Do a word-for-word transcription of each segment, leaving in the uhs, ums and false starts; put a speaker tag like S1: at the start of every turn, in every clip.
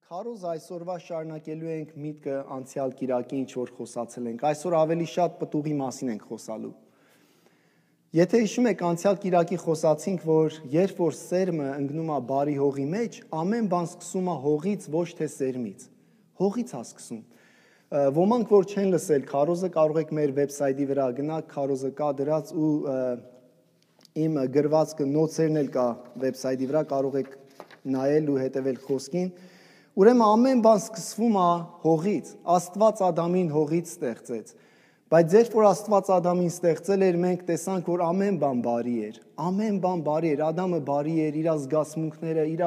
S1: Քարոզ այսօրվա շարունակելու ենք միտքը անցյալ կիրակի ինչ որ խոսացել ենք։ Այսօր ավելի շատ պտուղի մասին ենք խոսալու։ Եթե հիշում եք անցյալ կիրակի խոսացինք, որ երբ որ սերմը ընկնում է բարի հողի մեջ, ամեն բան սկսում է հողից, ոչ թե սերմից։ Հողից է սկսում։ Ոմանք որ չեն լսել քարոզը, կարող եք մեր վեբսայթի վրա գնալ, քարոզը կա դրած ու իմ գրվածքը նոցերն էլ կա վեբսայթի վրա, կարող եք նայել ու հետևել խոսքին։ Ուրեմն ամեն բան սկսվում է հողից, Աստված Ադամին հողից ստեղծեց, բայց երբ որ Աստված Ադամին ստեղծել էր, մենք տեսանք, որ ամեն բան բարի էր, ամեն բան բարի էր, Ադամը բարի էր, իր զգացմունքները, իր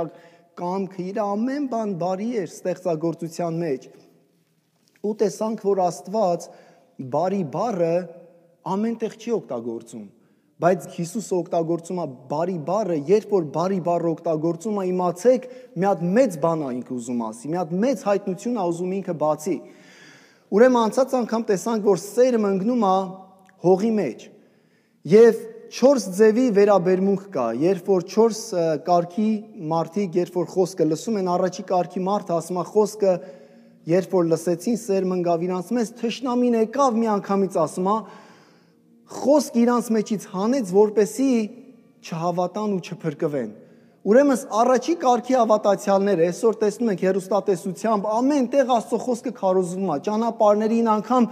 S1: կամքը, իր ամեն բան բարի էր ստեղծագործության մեջ, ու տեսանք, որ Աստված բարի բառը ամենտեղ չի օգտագործում, բայց Հիսուսը օգտագործում է բարի բառը, երբ որ բարի բառը օգտագործում է, իմացեք, մի հատ մեծ բան է ինքը ուզում ասի, մի հատ մեծ հայտնություն է ուզում ինքը բացի։ Ուրեմն անցած անգամ տեսանք, որ սերմը ընկնում է հողի մեջ, եւ չորս ձևի վերաբերմունք կա, երբ որ չորս կարգի մարդիկ, երբ որ խոսքը լսում են, առաջի կարգի մարդը ասում է խոսքը, երբ որ լսեցին, սերմը ընկավ իրանց մեջ, թշնամին եկավ մի անգամից ասում է, խոսք իրանց մեջից հանեց, որպեսի չհավատան ու չփրկվեն։ Ուրեմն առաջի կարգի հավատացյալները այսօր տեսնում ենք հեռուստատեսությամբ ամեն տեղ Աստծո խոսքը քարոզվում է, ճանապարհներին անգամ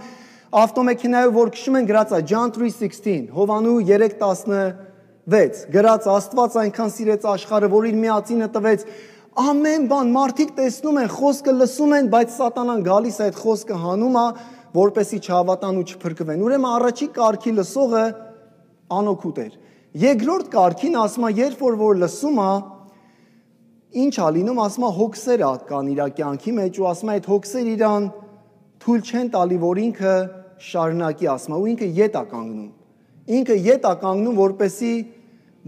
S1: ավտոմեքենայով որ քշում են գրած է John three sixteen, Հովանու three sixteen գրած Աստված այնքան սիրեց աշխարհը, որ իր միածինը տվեց։ Ամեն բան մարդիկ տեսնում են, խոսքը լսում են, բայց սատանան գալիս է այդ խոսքը հանում է, որպեսի չհավատան ու չփրկվեն։ Ուրեմն առաջի կարգի լսողը անօգուտ էր։ Երկրորդ կարգին ասում է, երբ որ որ լսում է, ինչ է լինում, ասում է հոգսեր կան իր կյանքի մեջ ու ասում է այդ հոգսեր իրան թույլ չեն տալի, որ ինքը շարունակի, ասում է, ու ինքը ետ է կանգնում։ Ինքը ետ է կանգնում, որպեսի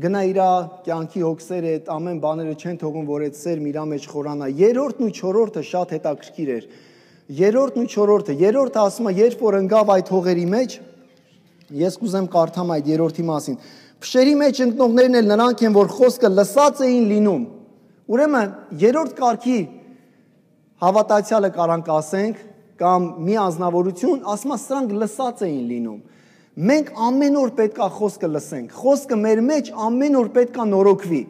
S1: գնա իր կյանքի հոգսերը, այդ ամեն բաները չեն թողում, որ այդ սերմ իր մեջ խորանա։ Երրորդն ու չորրորդը շատ հետաքրքիր էր։ Երրորդն ու չորրորդը, երրորդը ասում է, երբ որ ընկավ այդ հողերի մեջ, ես կուզեմ կարդամ այդ երրորդի մասին։ Փշերի մեջ ընկնողներն էլ նրանք են, որ խոսքը լսած էին լինում։ Ուրեմն երրորդ կարգի հավատացյալը կարանք ասենք, կամ մի անձնավորություն, ասում է սրանք լսած էին լինում։ Մենք ամեն օր պետքա խոսքը լսենք։ Խոսքը մեր մեջ ամեն օր պետքա նորոգվի։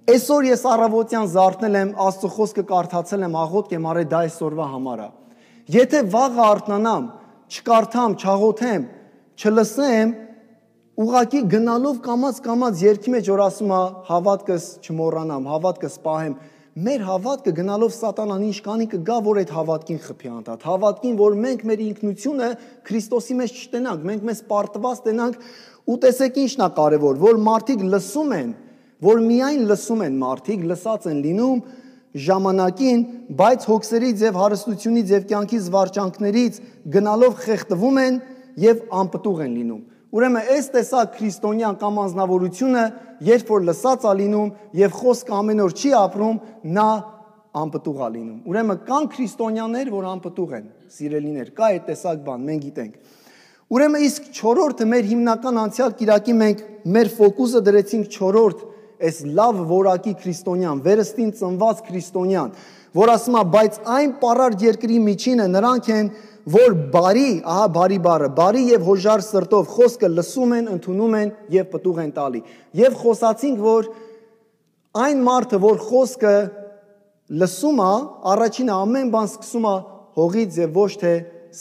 S1: Այսօր ես առավոտյան զարթնել եմ, Աստծո խոսքը կարդացել եմ, աղոթք եմ արել, դա այսօրվա համար է։ Եթե վաղը արթնանամ, չկարդամ, չաղոթեմ, չլսեմ, ուղղակի գնալով կամաց-կամաց երգի մեջ որ ասում է հավատքս չմոռանամ, հավատքս պահեմ, մեր հավատքը գնալով սատանան ինչ կանի կգա, որ այդ հավատքին խփի անդադ, հավատքին, որ մենք մեր ինքնությունը Քրիստոսի մեջ չտենանք, մենք մեզ պարտված տենանք, ու տեսեք ինչն է կարևոր, որ մարդիկ լսում են, որ միայն լսում են մարդիկ, լսած են լինում ժամանակին, բայց հոգսերից եւ հարստությունից եւ կյանքի զվարճանքներից գնալով խեղդվում են եւ անպտուղ են լինում։ Ուրեմն այս տեսակ քրիստոնյան կամ անձնավորությունը, երբ որ լսած է լինում եւ խոսքը ամեն օր չի ապրում, նա անպտուղ է լինում։ Ուրեմն կան քրիստոնյաներ, որ անպտուղ են, սիրելիներ, կա այդ տեսակ բան, մենք գիտենք։ Ուրեմն իսկ չորրորդը մեր հիմնական անցյալ կիրակի մենք մեր ֆոկուսը դրեցինք չորրորդ այս լավ որակի քրիստոնյան, վերստին ծնված քրիստոնյան, որ ասում է, բայց այն պարարտ երկրի միջինը նրանք են, որ բարի, ահա բարի բառը, բարի եւ հոժար սրտով խոսքը լսում են, ընդունում են եւ պտուղ են տալի։ Եվ խոսացինք, որ այն մարդը, որ խոսքը լսում է, առաջինը ամեն բան սկսում է հողից եւ ոչ թե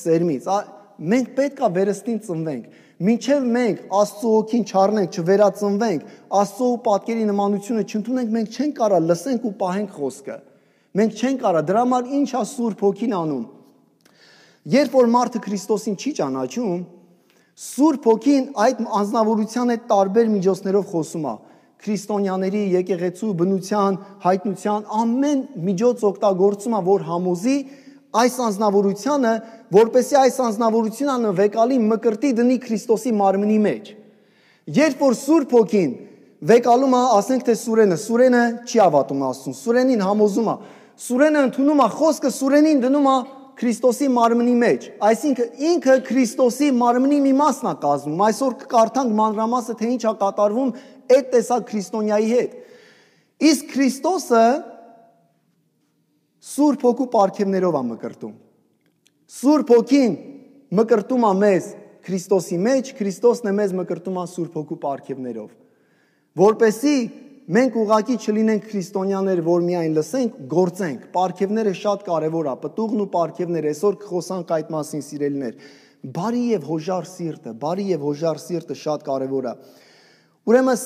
S1: սերմից։ Մենք պետք է վերստին ծնվենք։ Մինչև մենք Աստծո հոգին չառնենք, չվերածնվենք, Աստծո պատկերի նմանությունը չընդունենք, մենք չենք կարա լսենք ու պահենք խոսքը։ Մենք չենք կարա, դրա համար ինչ է Սուրբ Հոգին անում։ Երբ որ մարդը Քրիստոսին չի ճանաչում, Սուրբ Հոգին այդ անձնավորության այդ տարբեր միջոցներով խոսում է։ Քրիստոնյաների եկեղեցու բնության, հայտնության ամեն միջոց օգտագործում է, որ համոզի այս անձնավորությունը, որպեսզի այս անձնավորությունը վեկալի մկրտի դնի Քրիստոսի մարմնի մեջ։ Երբ որ Սուրբ Հոգին վեկալում է, ասենք թե Սուրենը, Սուրենը չի հավատում Աստծուն, Սուրենին համոզում է, Սուրենը ընդունում է խոսքը, Սուրենին դնում է Քրիստոսի մարմնի մեջ, այսինքն ինքը Քրիստոսի մարմնի մի մասն է կազմում։ Այսօր կկարդանք մանրամասը, թե ինչ է կատարվում այդ տեսակ քրիստոնյայի հետ։ Իսկ Քրիստոսը Սուրբ Հոգու պարգևներով է մկրտում։ Սուրբ Հոգին մկրտում է մեզ Քրիստոսի մեջ, Քրիստոսն է մեզ մկրտում է Սուրբ Հոգու պարգևներով։ Որպեսզի մենք ուղղակի չլինենք քրիստոնյաներ, որ միայն լսենք, գործենք։ Պարգևները շատ կարևոր է, պտուղն ու պարգևները, այսօր կխոսանք այդ մասին, սիրելիներ։ Բարի եւ հոժար սիրտը, բարի եւ հոժար սիրտը շատ կարևոր է։ Ուրեմն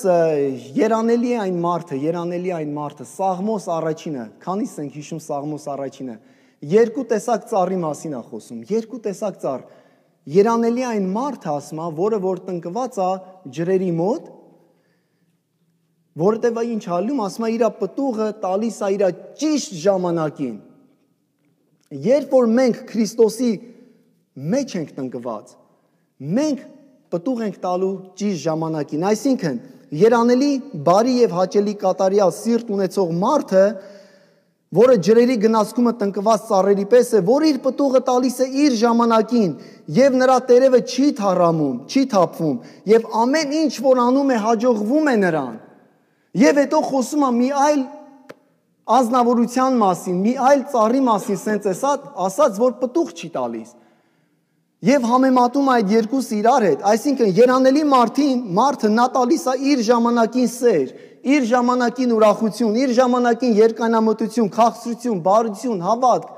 S1: երանելի է այն մարդը, երանելի է այն մարդը, Սաղմոս առաջինը, քանիս ենք հիշում Սաղմոս առաջինը, երկու տեսակ ծառի մասին է խոսում, երկու տեսակ ծառ։ Երանելի է այն մարդը, ասում է, որը որ տնկված է ջրերի մոտ, որտեղ ինչ ալում, ասում է, իր պտուղը տալիս է իր ճիշտ ժամանակին։ Երբ որ մենք Քրիստոսի մեջ ենք տնկված, մենք պտուղ ենք տալու ճիշտ ժամանակին, այսինքն երանելի, բարի եւ հաճելի կատարյալ սիրտ ունեցող մարդը, որը ջրերի գնացքումը տնկված ծառերի պես է, որ իր պտուղը տալիս է իր ժամանակին եւ նրա տերևը չի թառամում, չի թափվում եւ ամեն ինչ որ անում է հաջողվում է նրան։ Եվ հետո խոսում է մի այլ ազնվորության մասին, մի այլ ծառի մասին, սենց էսած, ասած, որ պտուղ չի տալիս։ Եվ համեմատում այդ երկուսը իրար հետ, այսինքն երանելի մարդին, մարդը նա տալիս է իր ժամանակին սեր, իր ժամանակին ուրախություն, իր ժամանակին երկայնամտություն, քաղցրություն, բարություն, հավատք։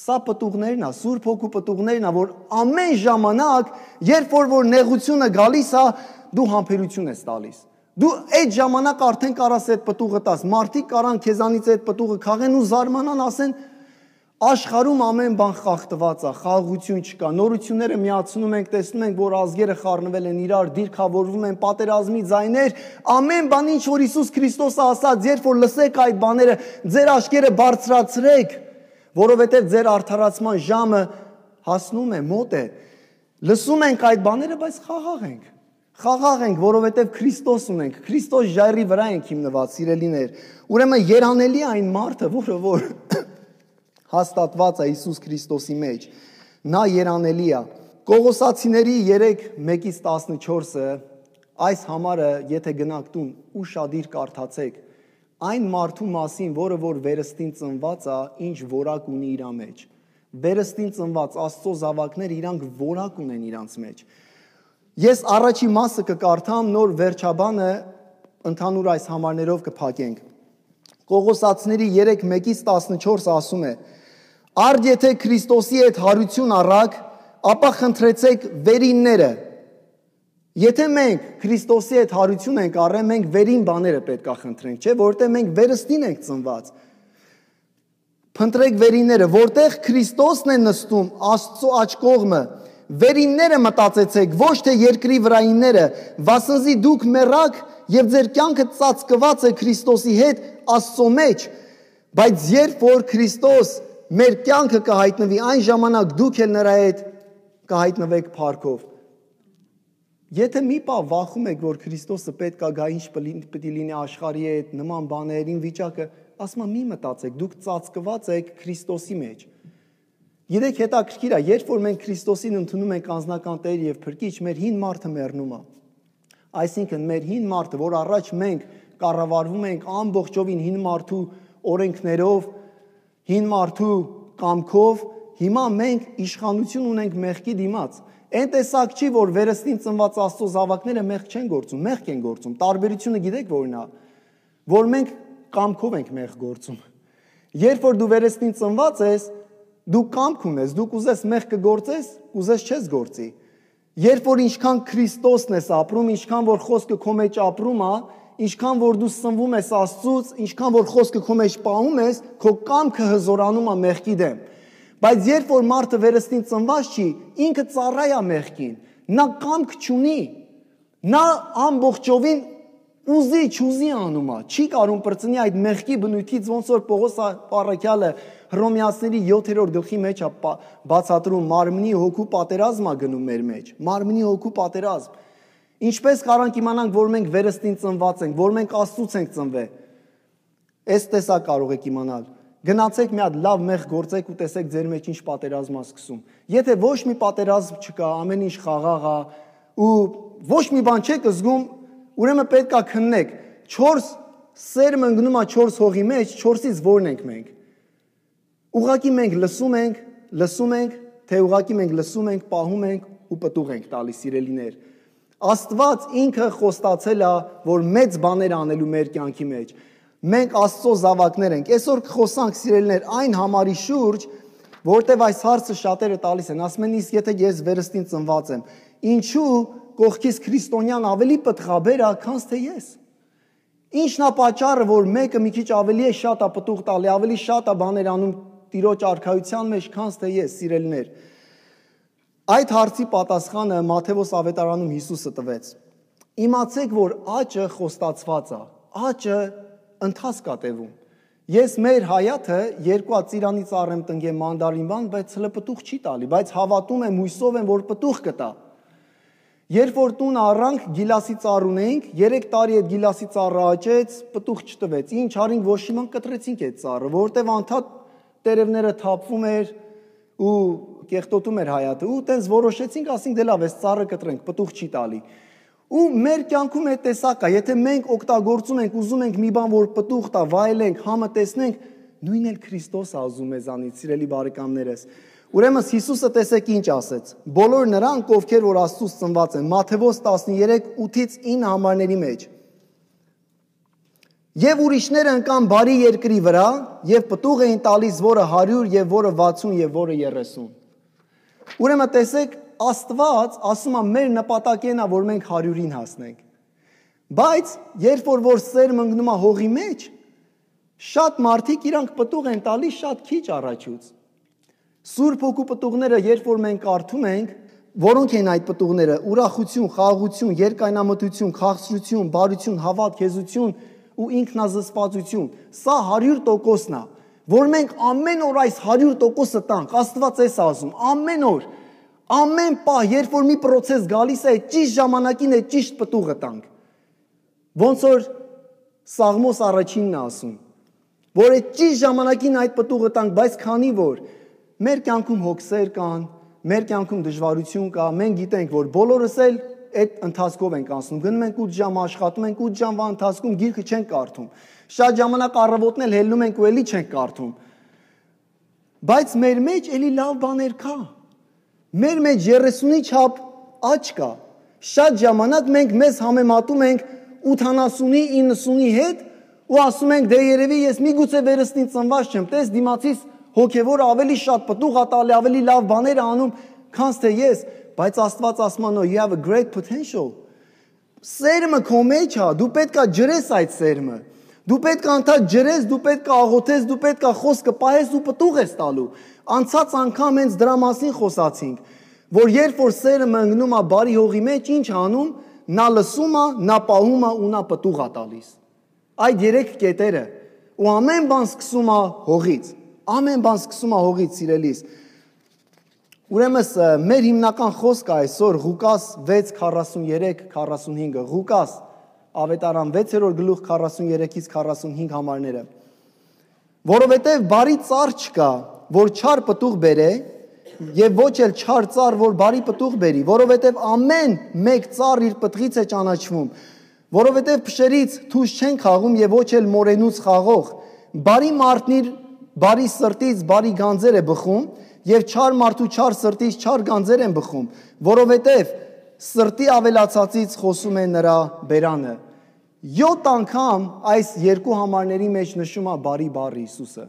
S1: Սա պտուղներն է, Սուրբ Հոգու պտուղներն է, որ ամեն ժամանակ, երբ որ որ նեղությունը գալիս է, դու համբերություն ես տալիս։ Դու այդ ժամանակ արդեն կարաս այդ պտուղը տաս։ Մարդիկ կարան քեզանից այդ պտուղը քաղեն ու զարմանան, ասեն աշխարհում ամեն բան խախտված է, խաղաղություն չկա, նորությունները միացնում ենք, տեսնում ենք, որ ազգերը խառնվել են իրար, դիրքավորվում են, պատերազմի ձայներ, ամեն բան ինչ որ Հիսուս Քրիստոսը ասաց, երբ որ լսեք այդ բաները, ձեր աչքերը բարձրացրեք, որովհետև ձեր արդարացման ժամը հասնում է, մոտ է։ Լսում ենք այդ բաները, բայց խաղաղ ենք։ Խաղաղ ենք, որովհետև Քրիստոս ունենք, Քրիստոս ժայռի վրա ենք հիմնված, սիրելիներ։ Ուրեմն երանելի է այն մարդը, որը որ հաստատված է Հիսուս Քրիստոսի մեջ, նա երանելի է։ Կողոսացիների երեք մեկից տասնչորսը այս համարը, եթե գնաք տուն, ուշադիր կարդացեք, այն մարդու մասին, որը որ վերստին ծնված է, ինչ որակ ունի իր մեջ։ Վերստին ծնված Աստծո զավակները իրանք որակ ունեն իրանց մեջ։ Ես առաջի մասը կկարդամ, նոր վերջաբանը ընդհանուր այս համարներով կփակենք։ Կողոսացիների երեք մեկից տասնչորսը ասում է. Արդ եթե Քրիստոսի հետ հարություն առաք, ապա խնդրեցեք վերինները։ Եթե մենք Քրիստոսի հետ հարություն ենք առել, մենք վերին բաները պետք է խնդրենք, չէ՞, որտեղ մենք վերստին ենք ծնված։ Փնտրեք վերինները, որտեղ Քրիստոսն է նստում, Աստծո աջ կողմը, վերինները մտածեցեք, ոչ թե երկրի վրայինները, վասնզի դուք մեռաք եւ ձեր կյանքը ծածկված է Քրիստոսի հետ Աստծո մեջ, բայց երբ որ Քրիստոս մեր կյանքը կհայտնվի, այն ժամանակ դուք էլ նրա հետ կհայտնվեք փառքով։ Եթե մի պահ վախում եք, որ Քրիստոսը պետք է գա, ինչ պետք է լինի աշխարհի հետ, նման բաներին վիճակը, ասում եմ, մի մտածեք, դուք ծածկված եք Քրիստոսի մեջ։ Գիտեք, հետաքրքիր է, երբ որ մենք Քրիստոսին ընդունում ենք անձնական Տեր եւ Փրկիչ, մեր հին մարդը մեռնում է։ Այսինքն մեր հին մարդը, որ առաջ մենք կառավարվում ենք ամբողջովին հին մարդու օրենքներով, հին մարդու կամքով, հիմա մենք իշխանություն ունենք մեղքի դիմաց։ Այն տեսակ չի, որ վերստին ծնված Աստծո զավակները մեղք չեն գործում, մեղք են գործում։ Տարբերությունը գիտեք որն է, որ մենք կամքով ենք մեղք գործում։ Երբ որ դու վերստին ծնված ես, դու կամք ունես, դու կուզես մեղք կգործես, կուզես չես գործի։ Երբ որ ինչքան Քրիստոսն ես ապրում, ինչքան որ խոսքը քո մեջ ապրում է, ինչքան որ դու սնվում ես Աստծուց, ինչքան որ խոսքը քո մեջ պահում ես, քո կամքը հզորանում է մեղքի դեմ։ Բայց երբ որ մարդը վերստին ծնված չի, ինքը ծառայ է մեղքին, նա կամք չունի, նա ամբողջովին ուզի չուզի անում է, չի կարում բրծնի այդ մեղքի բնույթից, ոնց որ Պողոս առաքյալը Հռոմեացիների յոթերորդ գլխի մեջ է բացատրում, մարմնի հոգու պատերազմ է գնում մեր մեջ, մարմնի հոգու պատերազմ։ Ինչպես կարանք իմանանք, որ մենք վերստին ծնված ենք, որ մենք Աստծուց ենք ծնվել։ Այս տեսակ կարող եք իմանալ։ Գնացեք մի հատ լավ մեղ գործեք ու տեսեք ձեր մեջ ինչ պատերազմ է սկսում։ Եթե ոչ մի պատերազմ չկա, ամեն ինչ խաղաղ է ու ոչ մի բան չեք զգում, ուրեմն պետք է քննեք։ չորս սերմ ընկնում է չորս հողի մեջ, չորսից որն ենք մենք։ Ուղղակի մենք լսում ենք, լսում ենք, թե ուղղակի մենք լսում ենք, պահում ենք ու պտուղ ենք տալիս, սիրելիներ։ Աստված ինքը խոստացել է, որ մեծ բաներ անելու մեր կյանքի մեջ։ Մենք Աստծո զավակներ ենք։ Այսօր կխոսանք, սիրելիներ, այն համարի շուրջ, որտեղ այս հարցը շատերը տալիս են, ասում են, իսկ եթե ես վերստին ծնված եմ, ինչու կողքից քրիստոնյան ավելի պտղաբեր է, քան թե ես։ Ինչն է պատճառը, որ մեկը մի քիչ ավելի է շատ է պտուղ տալի, ավելի շատ է բաներ անում Տիրոջ արքայության մեջ, քան թե ես, սիրելիներ։ Այդ հարցի պատասխանը Մատթեոս ավետարանում Հիսուսը տվեց։ Իմացեք, որ աճը խոստացված է, աճը ընթացք է տևում։ Ես մեր հայաթը երկու ծիրանի ծառ եմ տնկեմ մանդարինվան, բայց հələ պտուղ չի տալի, բայց հավատում եմ, հույսով եմ, որ պտուղ կտա։ Երբ որ տուն առանք գիլասի ծառ ունեինք, երեք տարի այդ գիլասի ծառը աճեց, պտուղ չտվեց։ Ինչ արինք, ոչ իման կտրեցինք այդ ծառը, որտեվ անդադ տերևները թափվում էր ու կեղտոտում էր հայաթը, ու տենց որոշեցինք, ասինք դե լավ, այս ծառը կտրենք, պտուղ չի տալի։ Ու մեր կյանքում այդ տեսակ է, եթե մենք օգտագործում ենք, ուզում ենք մի բան, որ պտուղ տա, վայելենք, համը տեսնենք, նույնն էլ Քրիստոս է ուզում մեզանից, սիրելի բարեկամներս։ Ուրեմն Հիսուսը տեսեք ինչ ասեց. բոլոր նրանք, ովքեր որ Աստծուց ծնված են, Մատթեոս տասներեք ութից ինը համարների մեջ։ Եվ ուրիշները ընկան բարի երկրի վրա, եւ պտուղ էին տալիս, որը հարյուր, եւ որը վաթսուն, եւ որը երեսուն։ Ուրեմն տեսեք, Աստված ասում է մեր նպատակն է, որ մենք հարյուրին հասնենք։ Բայց երբ որ որ սերմ ընկնում է հողի մեջ, շատ մարդիկ իրանք պտուղ են տալիս շատ քիչ առաջուց։ Սուրբ Հոգու պտուղները, երբ որ մենք կարդում ենք, որոնք են այդ պտուղները՝ ուրախություն, խաղաղություն, երկայնամտություն, քաղցրություն, բարություն, հավատ, հեզություն ու ինքնազսպվածություն։ Սա հարյուր տոկոսն է, որ մենք ամեն օր այս հարյուր տոկոսը տանք։ Աստված էս ասում, ամեն օր, ամեն պահ, երբ որ մի process գալիս է, ճիշտ ժամանակին է ճիշտ պտուղը տանք։ Ոնց որ Սաղմոս առաջինն է ասում, որ այդ ճիշտ ժամանակին այդ պտուղը տանք, բայց քանի որ մեր կյանքում հոգսեր կան, մեր կյանքում դժվարություն կա, մենք գիտենք, որ բոլորս էլ այդ ընթացքով ենք անցնում, գնում ենք ութ ժամ աշխատում ենք, ութ ժամվա ընթացքում գիրքը չենք կարդում, շատ ժամանակ առավոտն էլ հելնում ենք ու էլի չենք կարդում, բայց մեր մեջ էլի լավ բաներ կա, մեր մեջ երեսունի չափ աճ կա, շատ ժամանակ մենք մեզ համեմատում ենք ութանասունի, իննսունի հետ ու ասում ենք, դե երևի ես միգուցե վերստին ծնված չեմ, տես դիմացից հոգևորը ավելի շատ պտուղ է տալի, ավելի լավ բաներ է անում, քան թե ես, բայց Աստված ասում է, no, you have a great potential։ Սերմը քո մեջ է, դու պետք է ջրես այդ սերմը։ Դու պետք է անդադ ջրես, դու պետք է աղոթես, դու պետք է խոսքը պահես ու պտուղ ես տալու։ Անցած անգամ հենց դրա մասին խոսացինք, որ երբ որ սերմը ընկնում է բարի հողի մեջ, ինչ անում, նա լսում է, նա պահում է ու նա պտուղ է տալիս։ Այդ երեք կետերը ու ամեն բան սկսում է հողից։ Ամեն բան սկսում է հողից, սիրելիս։ Ուրեմն մեր հիմնական խոսքը այսօր Ղուկաս վեց քառասուներեք քառասունհինգը, Ղուկաս ավետարան վեցերորդ գլուխ քառասուներեքից քառասունհինգ համարները։ Որովհետև բարի ծառ չկա, որ չար պտուղ բերե, եւ ոչ էլ չար ծառ, որ բարի պտուղ բերի, որովհետև ամեն մեկ ծառ իր պտղից է ճանաչվում, որովհետև փշերից թուզ չեն խաղում եւ ոչ էլ մորենուց խաղող։ Բարի մարդն իր բարի սրտից բարի գանձեր է բխում եւ չար մարդու չար սրտից չար գանձեր են բխում, որովհետեւ սրտի ավելացածից խոսում է նրա բերանը։ յոթ անգամ այս երկու համարների մեջ նշում է բարի բառը Հիսուսը։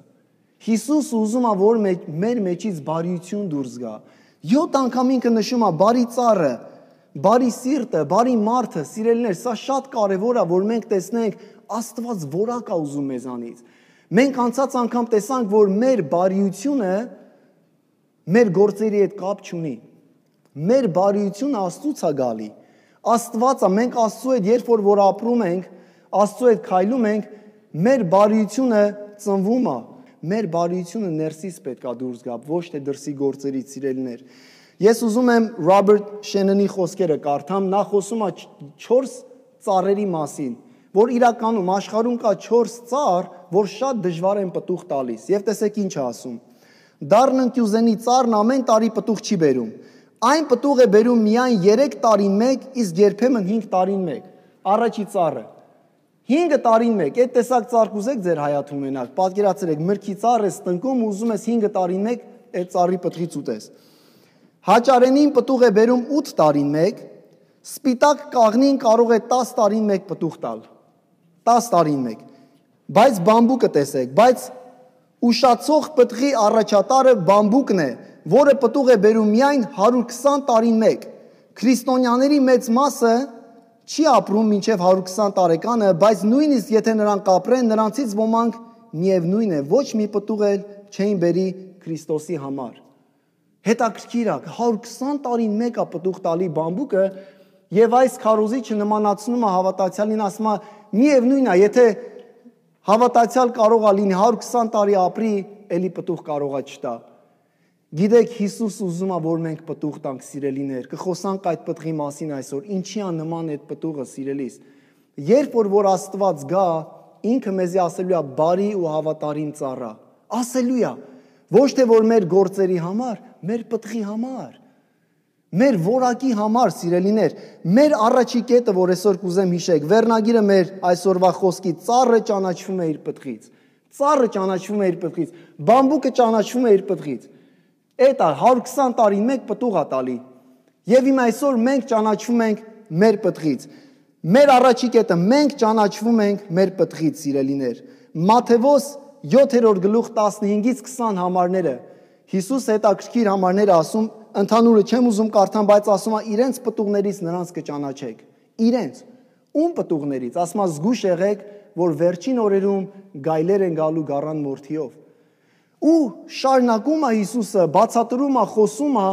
S1: Հիսուսը ուզում է, որ մեր մեջից բարիություն դուրս գա։ յոթ անգամ ինքը նշում է բարի ծառը, բարի սիրտը, բարի մարդը, սիրելիներ, սա շատ կարևոր է, որ մենք տեսնենք Աստված որակ է ուզում մեզանից։ Մենք անցած անգամ տեսանք, որ մեր բարիությունը մեր գործերի հետ կապ չունի։ Մեր բարիությունը Աստծուց է գալի։ Աստված է, մենք Աստծու հետ երբ որ որ ապրում ենք, Աստծու հետ քայլում ենք, մեր բարիությունը ծնվում է։ Մեր բարիությունը ներսից պետք է դուրս գա, ոչ թե դրսի գործերից, սիրելիներ։ Ես ուզում եմ Ռոբերտ Շենոնի խոսքերը կարդամ, նա խոսում է չորս ծառերի մասին, որ իրականում աշխարհում կա չորս ծառ, որ շատ դժվար են պտուղ տալիս։ Եվ տեսեք ինչ է ասում։ Դառնընկյուզենի ծառն ամեն տարի պտուղ չի բերում։ Այն պտուղ է բերում միայն երեք տարին մեկ, իսկ երբեմն հինգ տարին մեկ։ Առաջի ծառը։ հինգ տարին մեկ, այդ տեսակ ծառ կուզեք ձեր հայաթում ունենալ, պատկերացրեք, մրգի ծառ ես տնկում ու ուզում ես հինգ տարին մեկ այդ ծառի պտղից ուտես։ Հաճարենին պտուղ է բերում ութ տարին մեկ, սպիտակ կաղնին կարող է տաս տարին մեկ պտուղ տալ, տաս տարին մեկ, բայց բամբուկը տեսեք, բայց ուշացող պտղի առաջատարը բամբուկն է, որը պտուղ է բերում միայն հարյուր քսան տարին մեկ։ Քրիստոնյաների մեծ մասը չի ապրում մինչև հարյուր քսան տարեկանը, բայց նույնիսկ եթե նրանք ապրեն, նրանցից ոմանք միևնույն է, ոչ մի պտուղ էլ չէին բերի Քրիստոսի համար։ Հետաքրքիր է, հարյուր քսան տարին մեկ է պտուղ տալի բամբուկը, եւ այս քարոզիչը նմանացնում է հավատացյալին, ասում է միևնույն է, եթե հավատացյալ կարող է լինի հարյուր քսան տարի ապրի, էլի պտուղ կարող է չտա։ Գիտեք, Հիսուս ուզում է, որ մենք պտուղ տանք, սիրելիներ, կխոսանք այդ պտղի մասին այսօր, ինչի է նման այդ պտուղը, սիրելիս։ Երբ որ որ Աստված գա, ինքը մեզի ասելու է բարի ու հավատարիմ ծառա, ասելու է, ոչ թե որ մեր գործերի համար, մեր պտղի համար, մեր որակի համար, սիրելիներ, մեր առաջի կետը, որ այսօր կուզեմ հիշեք, վերնագիրը մեր այսօրվա խոսքի, ծառը ճանաչվում է իր պտղից, ծառը ճանաչվում է իր պտղից, բամբուկը ճանաչվում է իր պտղից։ Այդ է հարյուր քսան տարին մեկ պտուղ է տալի։ Եվ իմ այսօր մենք ճանաչվում ենք մեր պտղից։ Մեր առաջի կետը մենք ճանաչվում ենք մեր պտղից, սիրելիներ։ Մատթեոս յոթերորդ գլուխ տասնհինգից քսան համարները։ Հիսուս հետաքրքիր համարներ է ասում, ընդհանուրը չեմ ուզում կարդամ, բայց ասում է իրենց պտուղներից նրանց կճանաչեք։ Իրենց ում պտուղներից, ասում է զգուշ եղեք, որ վերջին օրերում գայլեր են գալու գառան մորթիով։ Ու շարունակում է Հիսուսը, բացատրում է, խոսում է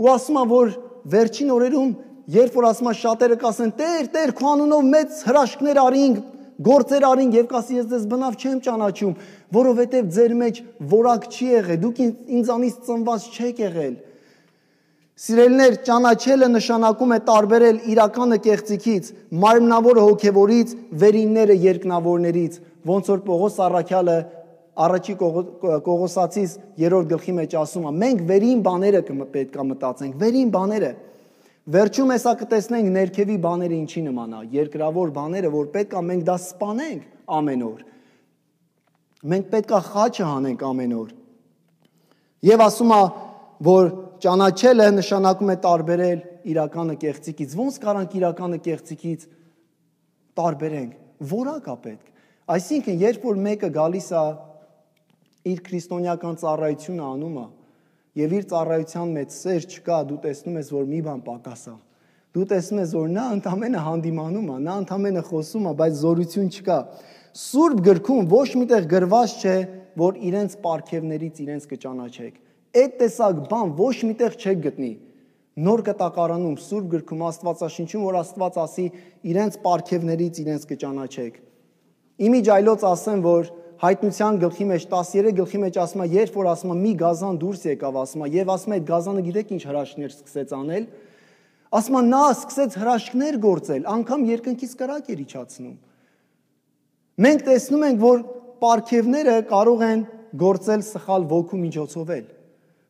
S1: ու ասում է, որ վերջին օրերում, երբ որ ասում է շատերը կասեն, Տեր, Տեր, քո անունով մեծ հրաշքներ արինք, գործեր արինք, եւ կասի ես ձեզ բնավ չեմ ճանաչում, որովհետեւ ձեր մեջ որակ չի եղել, դուք ինձանից ծնված չեք եղել։ Սիրելիներ, ճանաչելը նշանակում է տարբերել իրականը կեղծիքից, մարմնավորը հոգևորից, վերինները երկնավորներից, ոնց որ Պողոս առաքյալը Առաջի Կողոսացիս երրորդ գլխի մեջ ասում է, մենք վերին բաները պետք է մտածենք, վերին բաները։ Վերջում հեսա կտեսնենք ներքևի բաները ինչի նման է, երկրավոր բաները, որ պետք է մենք դա սպանենք ամեն օր։ Մենք պետք է խաչը հանենք ամեն օր։ Եվ ասում է, որ ճանաչելը նշանակում է տարբերել իրականը կեղծիքից։ Ոնց կարանք իրականը կեղծիքից տարբերենք։ Որակ է պետք։ Այսինքն, երբ որ մեկը գալիս է իր քրիստոնեական ծառայությունը անում է, եւ իր ծառայության մեջ սեր չկա, դու տեսնում ես, որ մի բան պակաս է։ Դու տեսնում ես, որ նա ընդամենը հանդիմանում է, նա ընդամենը խոսում է, բայց զորություն չկա։ Սուրբ գրքում ոչ միտեղ գրված չէ, որ իրենց պարգևներից իրենց կճանաչեք։ Այդ տեսակ բան ոչ միտեղ չեք գտնի։ Նոր կտակարանում Սուրբ գրքում Աստվածաշնչում, որ Աստված ասի, իրենց պարգևներից իրենց կճանաչեք։ Իմիջ այլոց ասեմ, որ Հայտնության գլխի մեջ տասներեք գլխի մեջ ասում է, երբ որ ասում է մի գազան դուրս եկավ, ասում է, եւ ասում է այդ գազանը գիտեք ինչ հրաշքներ սկսեց անել, ասում է նա սկսեց հրաշքներ գործել, անգամ երկնքից կրակ էր իջացնում։ Մենք տեսնում ենք, որ պարգևները կարող են գործել սխալ ոգու միջոցով էլ։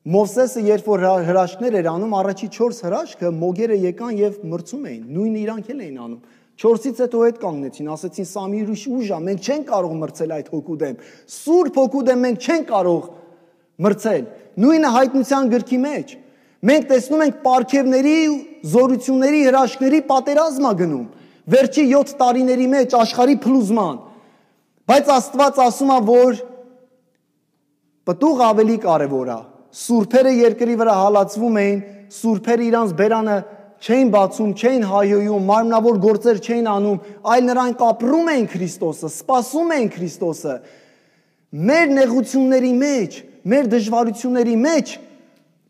S1: Մովսեսը երբ որ հրաշքներ էր անում, առաջի չորս հրաշքը մոգերը եկան եւ մրցում էին, նույն իրանք էլ էին անում։ Չորսից հետո հետ կանգնեցին, ասեցին սա մի ուրիշ ուժ է, մենք չենք կարող մրցել այդ հոգու դեմ։ Սուրբ հոգու դեմ մենք չենք կարող մրցել։ Նույնը Հայտնության գրքի մեջ։ Մենք տեսնում ենք պարգևների, զորությունների, հրաշքների պատերազմ է գնում։ Վերջի յոթ տարիների մեջ աշխարհի փլուզման։ Բայց Աստված ասում է, որ պտուղ ավելի կարևոր է։ Սուրբերը երկրի վրա հալածվում էին, սուրբերը իրանց բերանը չէին բացում, չէին հայոյում, մարմնավոր գործեր չէին անում, այլ նրանք ապրում էին Քրիստոսը, սպասում էին Քրիստոսը։ Մեր նեղությունների մեջ, մեր դժվարությունների մեջ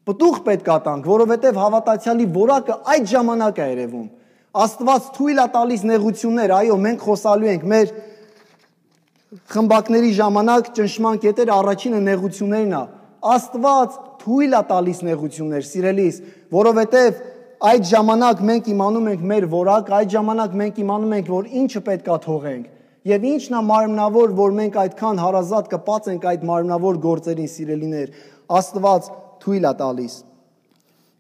S1: պտուղ պետք է տանք, որովհետև հավատացյալի որակը այդ ժամանակ է երևում։ Աստված թույլ է տալիս նեղություններ, այո, մենք խոսալու ենք մեր խմբակների ժամանակ ճնշման կետերը առաջինը նեղություններն է։ Աստված թույլ է տալիս նեղություններ, սիրելիս, որովհետև այդ ժամանակ մենք իմանում ենք մեր որակ, այդ ժամանակ մենք իմանում ենք, որ ինչը պետք է թողենք, եւ ինչն է մարմնավոր, որ մենք այդքան հարազատ կպած ենք այդ մարմնավոր գործերին, սիրելիներ, Աստված թույլ է տալիս։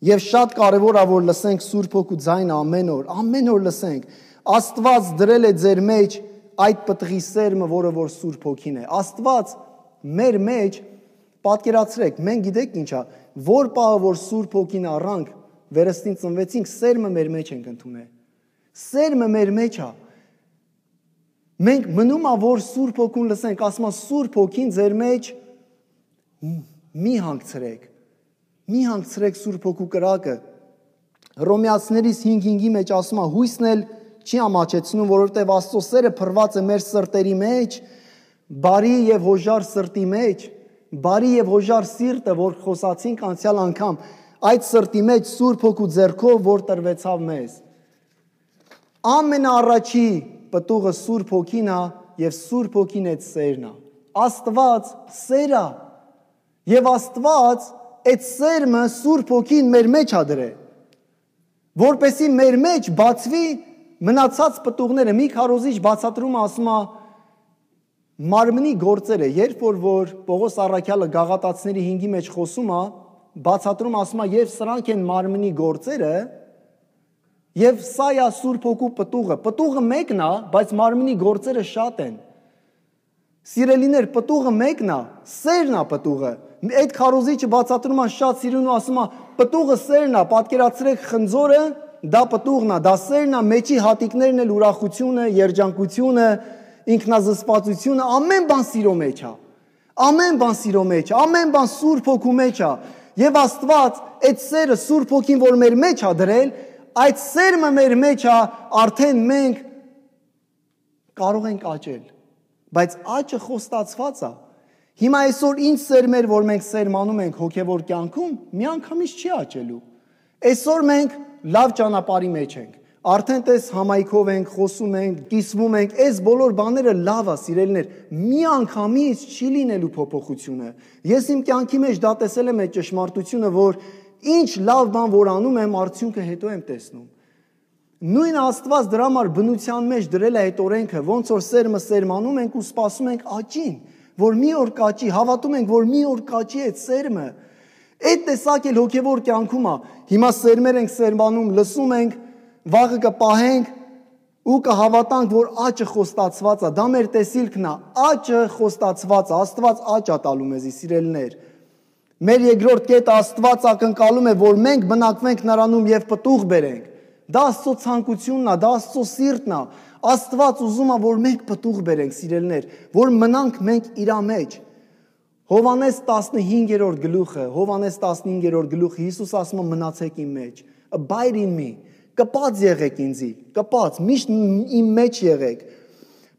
S1: Եվ շատ կարևոր է, որ լսենք Սուրբ Հոգու ձայնը ամեն օր, ամեն օր լսենք։ Աստված դրել է ձեր մեջ այդ պտղի սերմը, որը որ Սուրբ Հոգին է։ Աստված մեր մեջ, պատկերացրեք, մենք գիտեք ինչա, որ պահը որ Սուրբ Հոգին առանք, վերստին ծնվեցինք, սերմը մեր մեջ ենք ընդունել։ Սերմը մեր մեջ է։ Մենք մնում է որ Սուրբ Հոգուն լսենք, ասում է Սուրբ Հոգին ձեր մեջ մի հանգցրեք։ Մի հանգցրեք Սուրբ Հոգու կրակը։ Հռոմեացիներից հինգ հինգի մեջ ասում է հույսն էլ չի ամաչեցնում, որովհետև Աստծո սերը փռված է մեր սրտերի մեջ, բարի եւ հոժար սրտի մեջ, բարի եւ հոժար սիրտը, որ խոսացինք անցյալ անգամ, այդ սրտի մեջ Սուրբ Հոգու ձեռքով, որ տրվեցավ մեզ։ Ամենաառաջի պտուղը Սուրբ Հոգին է եւ Սուրբ Հոգին այդ սերն է։ Աստված սեր է եւ Աստված այդ սերմը Սուրբ Հոգին մեր մեջ է դրել, որպեսզի մեր մեջ բացվի մնացած պտուղները։ Մի քարոզիչ բացատրում ասում է մարմնի գործերը, երբ որ որ Պողոս առաքյալը Գաղատացիների հինգի մեջ խոսում է, բացատրում ասում է եւ սրանք են մարմնի գործերը, եւ սա է Սուրբ Հոգու պտուղը։ Պտուղը մեկն է, բայց մարմնի գործերը շատ են։ Սիրելիներ, պտուղը մեկն է, սերն է պտուղը։ Այդ քարոզիչը բացատրում է շատ սիրուն ու ասում է պտուղը սերն է, պատկերացրեք խնձորը, դա պտուղն է, դա սերն է, մեջի հատիկներն էլ ուրախությունը, երջանկությունը, ինքնազսպվածությունը, ամեն բան սիրո մեջ է։ Ամեն բան սիրո մեջ է, ամեն բան Սուրբ Հոգու մեջ է։ Եվ Աստված այդ սերը Սուրբ Հոգին, որ մեր մեջ է դրել, այդ սերմը մեր մեջ է, արդեն մենք կարող ենք աճել։ Բայց աճը խոստացված է։ Հիմա այսօր ինչ սերմեր, որ մենք սերմանում ենք հոգևոր կյանքում, միանգամից չի աճելու։ Այսօր մենք լավ ճանապարհի մեջ ենք։ Արդեն տես համայնքով ենք, խոսում ենք, կիսվում ենք, այս բոլոր բաները լավ է, սիրելիներ, միանգամից չի լինելու փոփոխությունը։ Ես իմ կյանքի մեջ դա տեսել եմ այդ ճշմարտությունը, որ ինչ լավ բան որ անում եմ, արդյունքը հետո եմ տեսնում։ Նույն Աստված դրա համար բնության մեջ դրել է այդ օրենքը, ոնց որ սերմը սերմանում ենք ու սպասում ենք աճին, որ մի օր կաճի, հավատում ենք, որ մի օր կաճի այդ սերմը։ Այդ տեսակ էլ հոգևոր կյանքում է։ Հիմա սերմեր ենք սերմանում, լսում ենք, վաղը կպահենք ու կհավատանք, որ աճը խոստացված է։ Դա մեր տեսիլքն է, աճը խոստացված է, Աստված աճ է տալու մեզի, սիրելիներ։ Մեր երկրորդ կետը Աստված ակնկալում է, որ մենք բնակվենք նրանում եւ պտուղ բերենք։ Դա Աստծո ցանկությունն է, դա Աստծո սիրտն է։ Աստված ուզում է, որ մենք պտուղ բերենք, սիրելիներ, որ մնանք մենք իր մեջ։ Հովհաննես տասնհինգերորդ գլուխը, Հովհաննես տասնհինգերորդ գլուխը Հիսուս ասում է մնացեք իմ մեջ։ Abide in me։ Կպած եղեք ինձի, կպած, միշտ իմ մեջ եղեք։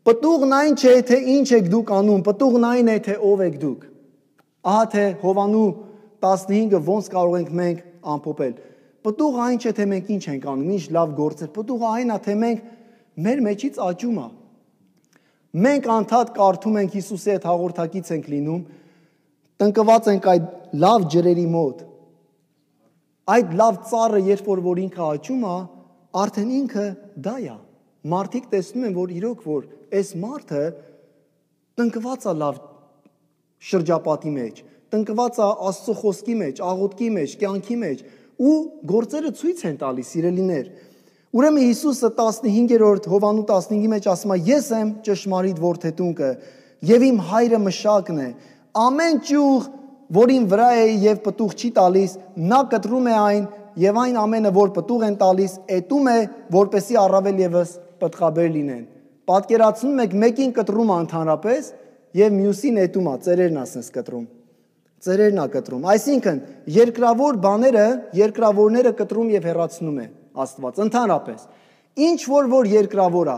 S1: Պտուղն այն չէ, թե ինչ եք դուք անում, պտուղն այն է, թե ով եք դուք։ Ահա թե Հովանու տասնհինգը ոնց կարող ենք մենք ամփոփել։ Պտուղը այն չէ, թե մենք ինչ ենք անում, ինչ լավ գործեր։ Պտուղը այն է, թե մենք մեր մեջից աճում է։ Մենք անդադ կարդում ենք Հիսուսի հետ հաղորդակից ենք լինում, տնկված ենք այդ լավ ջրերի մոտ։ Այդ լավ ծառը, երբ որ որ ինքը աճում է, արդեն ինքը դա է։ Մարդիկ տեսնում են, որ իրոք որ այս մարդը տնկված է լավ շրջապատի մեջ, տնկված է Աստծո խոսքի մեջ, աղոթքի մեջ, կյանքի մեջ, ու գործերը ցույց են տալիս, սիրելիներ։ Ուրեմն Հիսուսը տասնհինգերորդ Հովանու տասնհինգի մեջ ասում է. Ես եմ ճշմարիտ որդետունկը եւ իմ հայրը մշակն է։ Ամեն ճյուղ, որին վրա է եւ պտուղ չի տալիս, նա կտրում է այն եւ այն ամենը, որ պտուղ են տալիս, էտում է, որպեսի առավել եւս պտղաբեր լինեն։ Պատկերացնում եք մեկին կտրում է ընդհանրապես եւ մյուսին էտում է, ծերերն ասես կտրում։ Ծերերն է կտրում։ Այսինքն երկրավոր բաները, երկրավորները կտրում եւ հեռացնում է Աստված ընդհանրապես։ Ինչ որ որ երկրավոր է,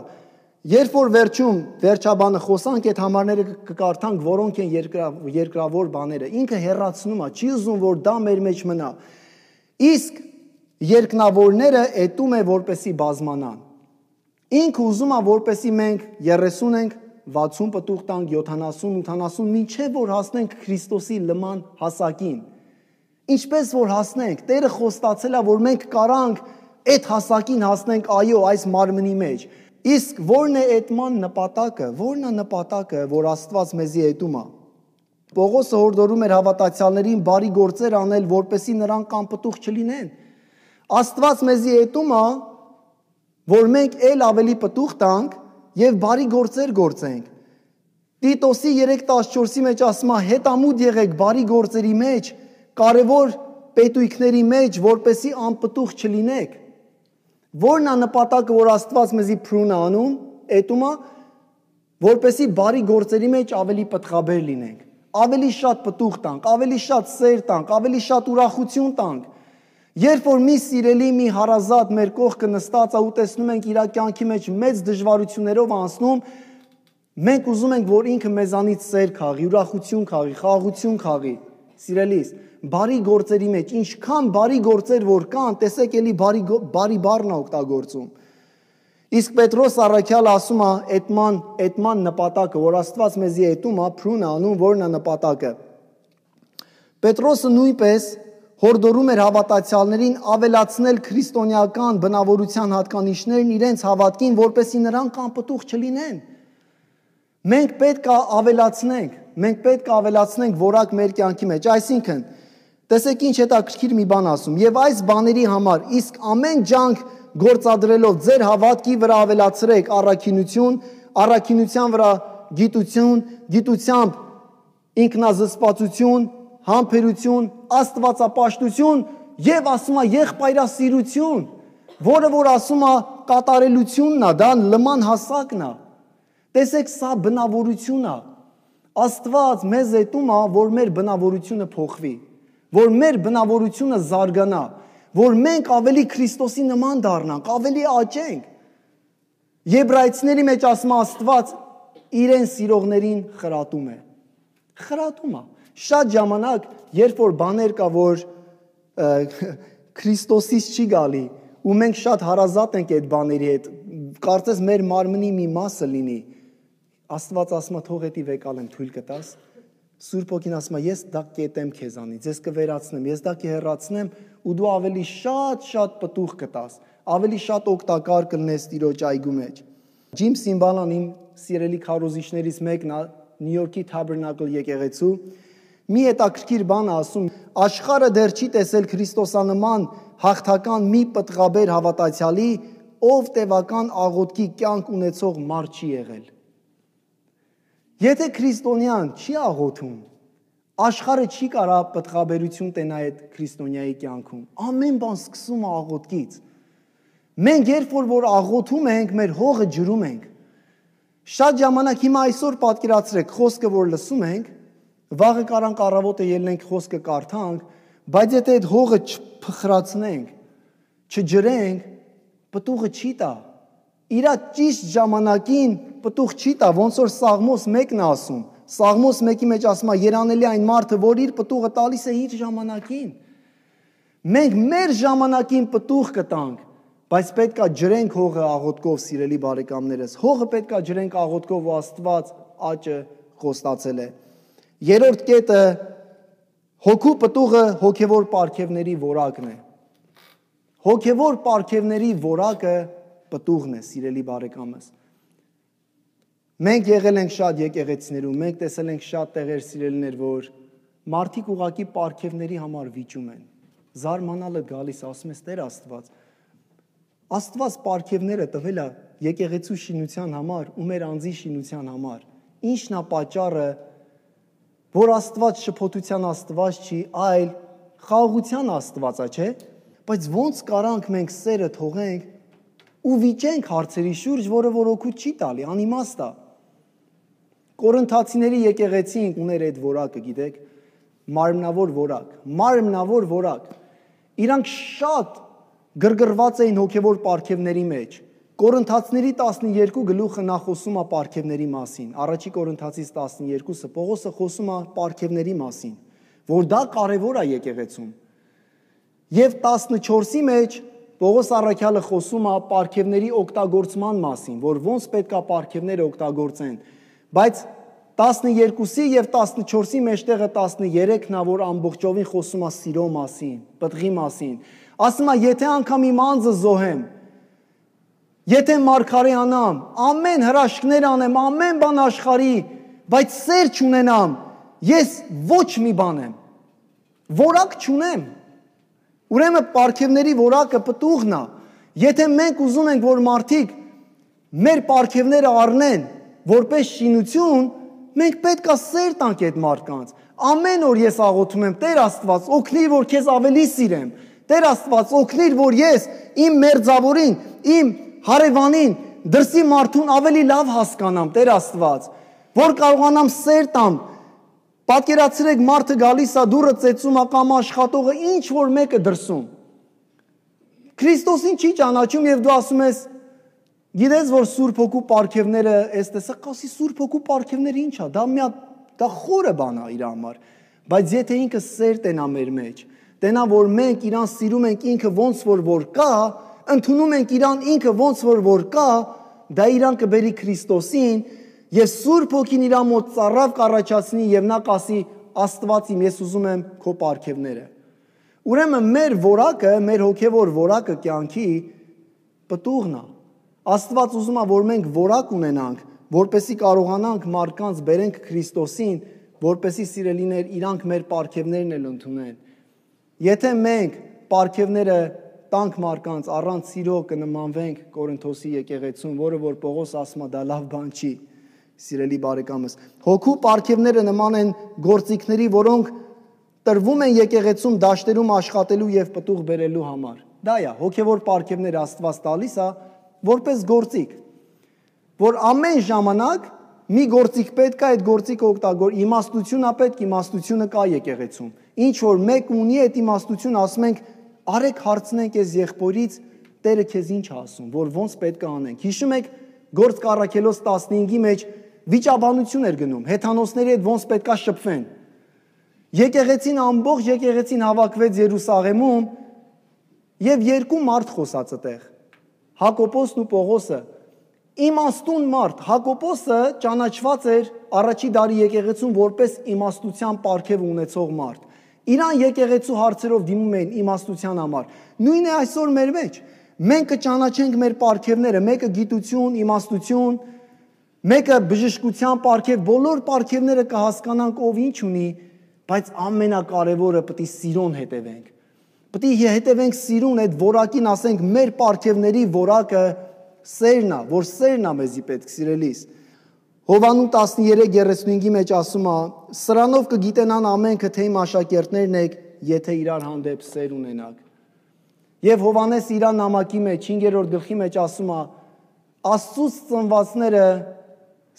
S1: երբ որ վերջում վերջաբանը խոսանք, այդ համարները կկարդանք, որոնք են երկրավոր բաները, ինքը հեռացնում է, չի ուզում որ դա մեր մեջ մնա։ Իսկ երկնավորները էտում է որպեսի բազմանան։ Ինքը ուզում է որպեսի մենք երեսուն ենք, վաթսուն պտուղ տանք, յոթանասուն, ութանասուն, մինչև որ հասնենք Քրիստոսի նման հասակին։ Ինչպես որ հասնենք, Տերը խոստացել է, որ մենք կարանք այդ հասակին հասնենք, այո, այս մարմնի մեջ։ Իսկ ո՞րն է այդման նպատակը, ո՞րն է նպատակը, որ Աստված մեզի այտում է։ Պողոսը հորդորում էր հավատացյալներին բարի գործեր անել, որպեսզի նրանք անպտուղ չլինեն։ Աստված մեզի այտում է, որ մենք ել ավելի պտուղ տանք եւ բարի գործեր գործենք։ Տիտոսի երեք տասնչորսի մեջ ասում է հետամուտ եղեք բարի գործերի մեջ, կարևոր պետույքների մեջ, որպեսի անպտուղ չլինեք։ Որն է նպատակը, որ Աստված մեզի փրուն է անում, էտում է, որպեսի բարի գործերի մեջ ավելի պտղաբեր լինենք, ավելի շատ պտուղ տանք, ավելի շատ սեր տանք, ավելի շատ ուրախություն տանք։ Երբ որ մի սիրելի, մի հարազատ մեր կողքը նստած է ու տեսնում ենք իր կյանքի մեջ մեծ դժվարություններով անցնում, մենք ուզում ենք, որ ինքը մեզանից սեր քաղի, ուրախություն քաղի, խաղաղություն քաղի։ Սիրելիս, բարի գործերի մեջ, ինչքան բարի գործեր որ կան, տեսեք էլի բարի, բարի բառն է օգտագործում։ Իսկ Պետրոս առաքյալը ասում է էտման, էտման նպատակը, որ Աստված մեզի էտում է, փրուն է անում, որն է նպատակը։ Պետրոսը նույնպես հորդորում էր հավատացյալներին ավելացնել քրիստոնեական բնավորության հատկանիշներն իրենց հավատքին, որպեսզի նրանք անպտուղ չլինեն։ Մենք պետք է ավելացնենք, մենք պետք է ավելացնենք որակ մեր կյանքի մեջ, այսինքն, տեսեք ինչ հետաքրքիր մի բան ասում, եւ այս բաների համար իսկ ամեն ջանք գործադրելով ձեր հավատքի վրա ավելացրեք առաքինություն, առաքինության վրա գիտություն, գիտությամբ ինքնազսպվածություն, համբերություն, աստվածապաշտություն եւ ասում է եղբայրասիրություն, որը որ ասում է կատարելությունն է, դա լման հասակն է։ Տեսեք, սա բնավորություն է։ Աստված մեզ հետում է, որ մեր բնավորությունը փոխվի, որ մեր բնավորությունը զարգանա, որ մենք ավելի Քրիստոսի նման դառնանք, ավելի աճենք։ Եբրայեցիների մեջ ասում է Աստված իրեն սիրողներին խրատում է։ Խրատում է։ Շատ ժամանակ, երբ որ բաներ կա, որ Քրիստոսից չի գալի, ու մենք շատ հարազատ ենք այդ բաների հետ, կարծես մեր մարմնի մի մասը լինի, Աստված ասում է թող էդի վեկալ եմ թույլ կտաս, Սուրբ Հոգին ասում է ես դա կետեմ քեզանից, ես կվերացնեմ, ես դա կհեռացնեմ ու դու ավելի շատ-շատ պտուղ կտաս, ավելի շատ օգտակար կլնես Տիրոջ այգու մեջ։ Ջիմ Սիմբալան իմ սիրելի քարոզիչներից մեկն է, Նյու Յորքի Tabernacle եկեղեցու, մի հետաքրքիր բան ասում, աշխարհը դեռ չի տեսել քրիստոսանման հաղթական մի պտղաբեր հավատացյալի, ով տևական աղոթքի կյանք ունեցող մարդ չի եղել։ Եթե քրիստոնյան չի աղոթում, աշխարհը չի կարա պտղաբերություն տենա այդ քրիստոնյայի կյանքում։ Ամեն բան սկսում է աղոթքից։ Մենք երբ որ որ աղոթում ենք, մեր հողը ջրում ենք։ Շատ ժամանակ հիմա այսօր պատկերացրեք, խոսքը որ լսում ենք, վաղը կարանք առավոտը ելնենք խոսքը կարդանք, բայց եթե այդ հողը չփխրացնենք, չջրենք, պտուղը չի տա։ Իրա ճիշտ ժամանակին պտուղ չի տա, ոնց որ Սաղմոս մեկն է ասում։ Սաղմոս մեկի մեջ ասում է երանելի այն մարդը, որ իր պտուղը տալիս է իր ժամանակին։ Մենք մեր ժամանակին պտուղ կտանք, բայց պետք է ջրենք հողը աղոթքով, սիրելի բարեկամներս։ Հողը պետք է ջրենք աղոթքով, ու Աստված աճը խոստացել է։ Երրորդ կետը հոգու պտուղը հոգևոր պարգևների որակն է։ Հոգևոր պարգևների որակը պտուղն է, սիրելի բարեկամս։ Մենք եղել ենք շատ եկեղեցիներում, մենք տեսել ենք շատ տեղեր, սիրելիներ, որ մարդիկ ուղղակի պարգևների համար վիճում են։ Զարմանալը գալիս, ասում ես Տեր Աստված, Աստված պարգևները տվել է եկեղեցու շինության համար ու մեր անձի շինության համար։ Ինչն է պատճառը, որ Աստված շփոթության Աստված չի, այլ խաղաղության Աստված է, չէ՞։ Բայց ոնց կարանք մենք սերը թողենք ու վիճենք հարցերի շուրջ, որը որ օգուտ չի տալի, անիմաստ է։ Կորինթացիների եկեղեցին ուներ այդ որակը, գիտեք, մարմնավոր որակ, մարմնավոր որակ։ Իրանք շատ գրգռված էին հոգևոր պարգևների մեջ։ Կորինթացիների տասնյոթ գլուխը նա խոսում է պարգևների մասին։ Առաջի Կորինթացից տասնյոթը Պողոսը խոսում է պարգևների մասին, որ դա կարևոր է եկեղեցում։ Եվ տասնչորսի մեջ Պողոս առաքյալը խոսում է պարգևների օգտագործման մասին, որ ոնց պետք է պարգևները օգտագործեն, բայց տասնյոթի եւ տասնչորսի մեջտեղը տասներեքն է, որ ամբողջովին խոսում է սիրո մասին, պտղի մասին։ Ասում է, եթե անգամ իմ անձը զոհեմ, եթե մարգարեանամ, ամեն հրաշքներ անեմ, ամեն բան աշխարհի, բայց սեր չունենամ, ես ոչ մի բան եմ, որակ չունեմ։ Ուրեմն պարգևների որակը պտուղն է։ Եթե մենք ուզում ենք, որ մարդիկ մեր պարգևները առնեն որպես շինություն, մենք պետք է սեր տանք այդ մարդկանց։ Ամեն օր ես աղոթում եմ, Տեր Աստված, օգնիր, որ քեզ ավելի սիրեմ։ Տեր Աստված, օգնիր, որ ես իմ մերձավորին, իմ հարևանին, դրսի մարդուն ավելի լավ հասկանամ, Տեր Աստված, որ կարողանամ սեր տամ։ Պատկերացրեք, մարդը գալիս է դուռը ծեծում, կամ աշխատողը ինչ որ մեկը դրսում։ Քրիստոսին չի ճանաչում եւ դու ասում ես, գիտես, որ Սուրբ Հոգու պարգևները, այս տեսա, կասի Սուրբ Հոգու պարգևները ինչ է, դա մի հատ դա խորը բան է իր համար, բայց եթե ինքը սեր տենա մեր մեջ, տենա, որ մենք իրան սիրում ենք, ինքը ոնց որ որ կա, ընդունում ենք իրան, ինքը ոնց որ որ կա, դա իրան կբերի Քրիստոսին, եւ Սուրբ Հոգին իր մոտ ծառավ կառաջացնի եւ նա կասի Աստված իմ, ես ուզում եմ քո պարգևները։ Ուրեմն մեր որակը, մեր հոգեվոր որակը կյանքի պտուղն է։ Աստված ուզում է, որ մենք որակ ունենանք, որպեսզի կարողանանք մարդկանց բերենք Քրիստոսին, որպեսզի սիրելիներ իրանք մեր պարգևներն էլ ընդունեն։ Եթե մենք պարգևները տանք մարդկանց առանց սիրո կնմանվենք Կորինթոսի եկեղեցուն, որը որ Պողոս ասում է դա լավ բան չի, սիրելի բարեկամս։ Հոգու պարգևները նման են գործիքների, որոնք տրվում են եկեղեցում դաշտերում աշխատելու եւ պտուղ բերելու համար։ Դա է, հոգեվոր պարգևները Աստված տալիս է որպես գործիք, որ ամեն ժամանակ մի գործիք պետք է, այդ գործիքը օգտագոր, իմաստությունն է պետք, իմաստությունը կա եկեղեցում։ Ինչ որ մեկ ունի այդ իմաստությունը, ասում ենք, արեք հարցնենք այս եղբորից, Տերը քեզ ինչ ասում, որ ոնց պետք է անենք։ Հիշում եք, Գործք առաքելոց տասնհինգի մեջ վիճաբանություն էր գնում, հեթանոսների հետ ոնց պետք է շփվեն։ Եկեղեցին ամբողջ եկեղեցին հավաքվեց Երուսաղեմում եւ երկու մարդ խոսած այդտեղ։ Հակոբոսն ու Պողոսը։ Իմաստուն մարդ, Հակոբոսը ճանաչված էր առաջի դարի եկեղեցում որպես իմաստության պարգև ունեցող մարդ։ Իրան եկեղեցու հարցերով դիմում էին իմաստության համար։ Նույնն է այսօր մեր մեջ։ Մենք կճանաչենք մեր պարգևները, մեկը գիտություն, իմաստություն, մեկը բժշկության պարգև, բոլոր պարգևները կհասկանանք ով ինչ ունի, բայց ամենակարևորը պետք է սիրուն հետևենք։ Պետք է հետևենք սիրուն, այդ որակին ասենք մեր պարգևների որակը սերն է, որ սերն է մեզի պետք սիրելիս։ Հովանու տասներեք երեսունհինգի մեջ ասում է. սրանով կգիտենան ամենքը, թե իմ աշակերտներն եք, եթե իրար հանդեպ սեր ունենաք։ Եվ Հովանես իր նամակի մեջ հինգերորդ գլխի մեջ ասում է. Աստծուց ծնվածները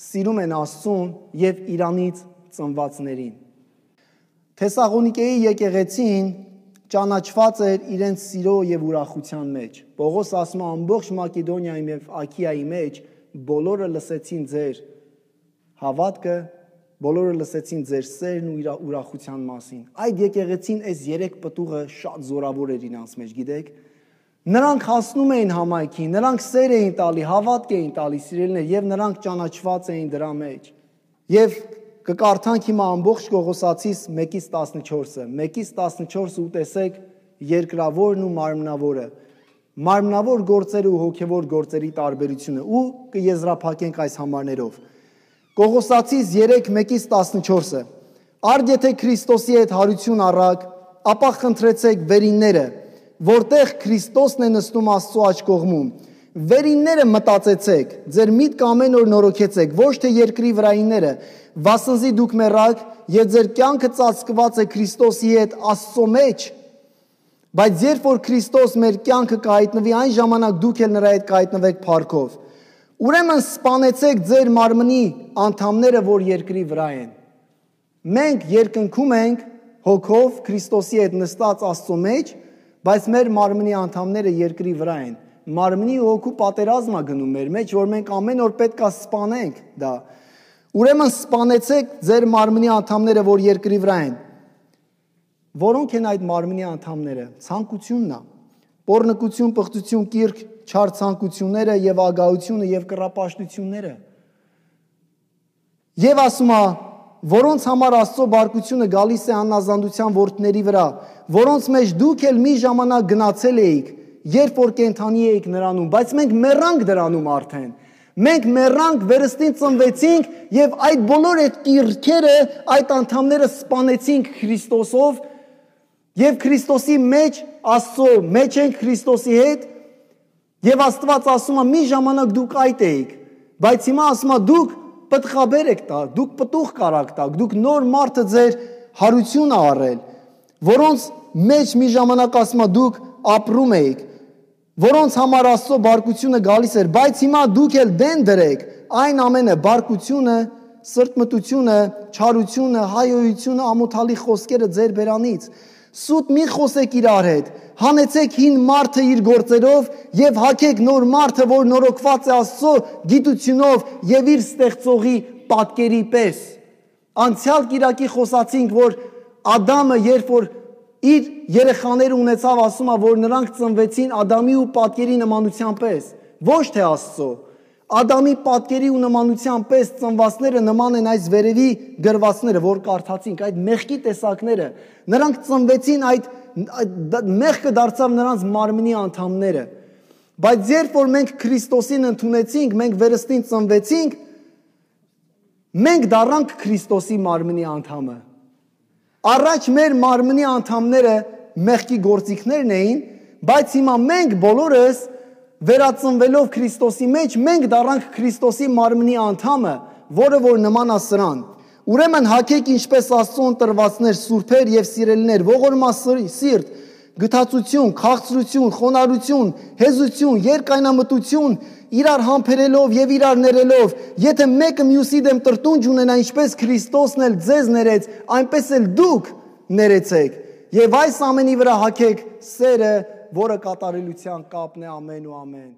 S1: սիրում են Աստծուն եւ իրանից ծնվածներին։ Թեսաղոնիկեի եկեղեցին ճանաչված էր իրենց սիրո եւ ուրախության մեջ։ Պողոս ասում է ամբողջ Մակեդոնիայում եւ Աքիայի մեջ բոլորը լսեցին ձեր հավատքը, բոլորը լսեցին ձեր սերն ու ուրախության մասին։ Այդ եկեղեցին այս երեք պտուղը շատ զորավոր էր իրանց մեջ, գիտեք։ Նրանք հասնում էին համայնքին, նրանք սեր էին տալի, հավատք էին տալի սիրելիներ եւ նրանք ճանաչված էին դրա մեջ։ Եվ կկարդանք հիմա ամբողջ Կողոսացիս մեկից տասնչորսը։ մեկից տասնչորսը ու տեսեք երկրավորն ու մարմնավորը։ Մարմնավոր գործերը ու հոգեվոր գործերի տարբերությունը ու կեզրափակենք այս համարներով։ Կողոսացիս երեք մեկից տասնչորսը։ Արդ եթե Քրիստոսի հետ հարություն առաք, ապա խնդրեցեք վերինները, որտեղ Քրիստոսն է նստում Աստծո աջ կողմում։ Վերինները մտածեցեք, ձեր միտքը ամեն օր նորոգեցեք, ոչ թե երկրի վրայինները, վասնզի դուք մեռաք եւ ձեր կյանքը ծածկված է Քրիստոսի հետ Աստծո մեջ։ Բայց երբ որ Քրիստոս մեր կյանքը կհայտնվի, այն ժամանակ դուք էլ նրա հետ կհայտնվեք փառքով։ Ուրեմն սպանեցեք ձեր մարմնի անդամները, որ երկրի վրա են։ Մենք երկնքում ենք հոգով Քրիստոսի հետ նստած Աստծո մեջ, բայց մեր մարմնի անդամները երկրի վրա են։ Մարմնի ու հոգու պատերազմ է գնում մեր մեջ, որ մենք ամեն օր պետք է սպանենք դա։ Ուրեմն սպանեցեք ձեր մարմնի անդամները, որ երկրի վրա են։ Որոնք են այդ մարմնի անդամները։ Ցանկությունն է, պոռնկություն, պղծություն, կիրք, չար ցանկությունները եւ ագահությունը եւ կռապաշտությունները։ Եվ ասում է, որոնց համար Աստծո բարկությունը գալիս է անազանդության որդների վրա, որոնց մեջ դուք էլ մի ժամանակ գնացել էիք, երբ որ կենթանի էիք նրանում, բայց մենք մեռանք դրանում արդեն։ Մենք մեռանք, վերստին ծնվեցինք եւ այդ բոլոր այդ կիրքերը, այդ անդամները սպանեցինք Եվ Աստված ասում է՝ մի ժամանակ դուք այդ էիք, բայց հիմա ասում է դուք պտղաբեր եք տա, դուք պտուղ կարաք տակ, դուք նոր մարդը ձեր հարությունը առել, որոնց մեջ մի ժամանակ ասում է դուք ապրում էիք, որոնց համար Աստծո բարկությունը գալիս էր, բայց հիմա դուք էլ դեն դրեք այն ամենը, բարկությունը, սրտմտությունը, չարությունը, հայոյությունը, ամոթալի խոսքերը ձեր բերանից։ Սուտ մի խոսեք իրար հետ, հանեցեք հին մարդը իր գործերով եւ հագեք նոր մարդը, որ նորոգված է Աստծո գիտությունով եւ իր ստեղծողի պատկերի պես։ Անցյալ կիրակի խոսացինք, որ Ադամը, երբ որ իր երեխաները ունեցավ, ասում է, որ նրանք ծնվեցին Ադամի ու պատկերի նմանության պես, ոչ թե Աստծո։ Ադամի պատկերի ու նմանության պես ծնվածները նման են այս վերևի գրվածները, որ կարդացինք, այդ մեղքի տեսակները։ Նրանք ծնվեցին, այդ մեղքը դարձավ նրանց մարմնի անդամները։ Բայց երբ որ մենք Քրիստոսին ընդունեցինք, մենք վերստին ծնվեցինք, մենք դառանք Քրիստոսի մարմնի անդամը։ Առաջ մեր մարմնի անդամները մեղքի գործիքներն էին, բայց հիմա մենք բոլորս վերածնվելով Քրիստոսի մեջ, մենք դառանք Քրիստոսի մարմնի անդամը, որը որ նման է սրան։ Ուրեմն հագեք ինչպես Աստծուն տրվածներ, սուրբեր եւ սիրելիներ, ողորմասիրտ, գթացություն, քաղցրություն, խոնարհություն, հեզություն, երկայնամտություն, իրար համբերելով եւ իրար ներելով, եթե մեկը մյուսի դեմ տրտունջ ունենա, ինչպես Քրիստոսն էլ ձեզ ներեց, այնպես էլ դուք ներեցեք։ Եվ այս ամենի վրա հագեք սերը, որը կատարելության կապն է, ամեն ու ամեն։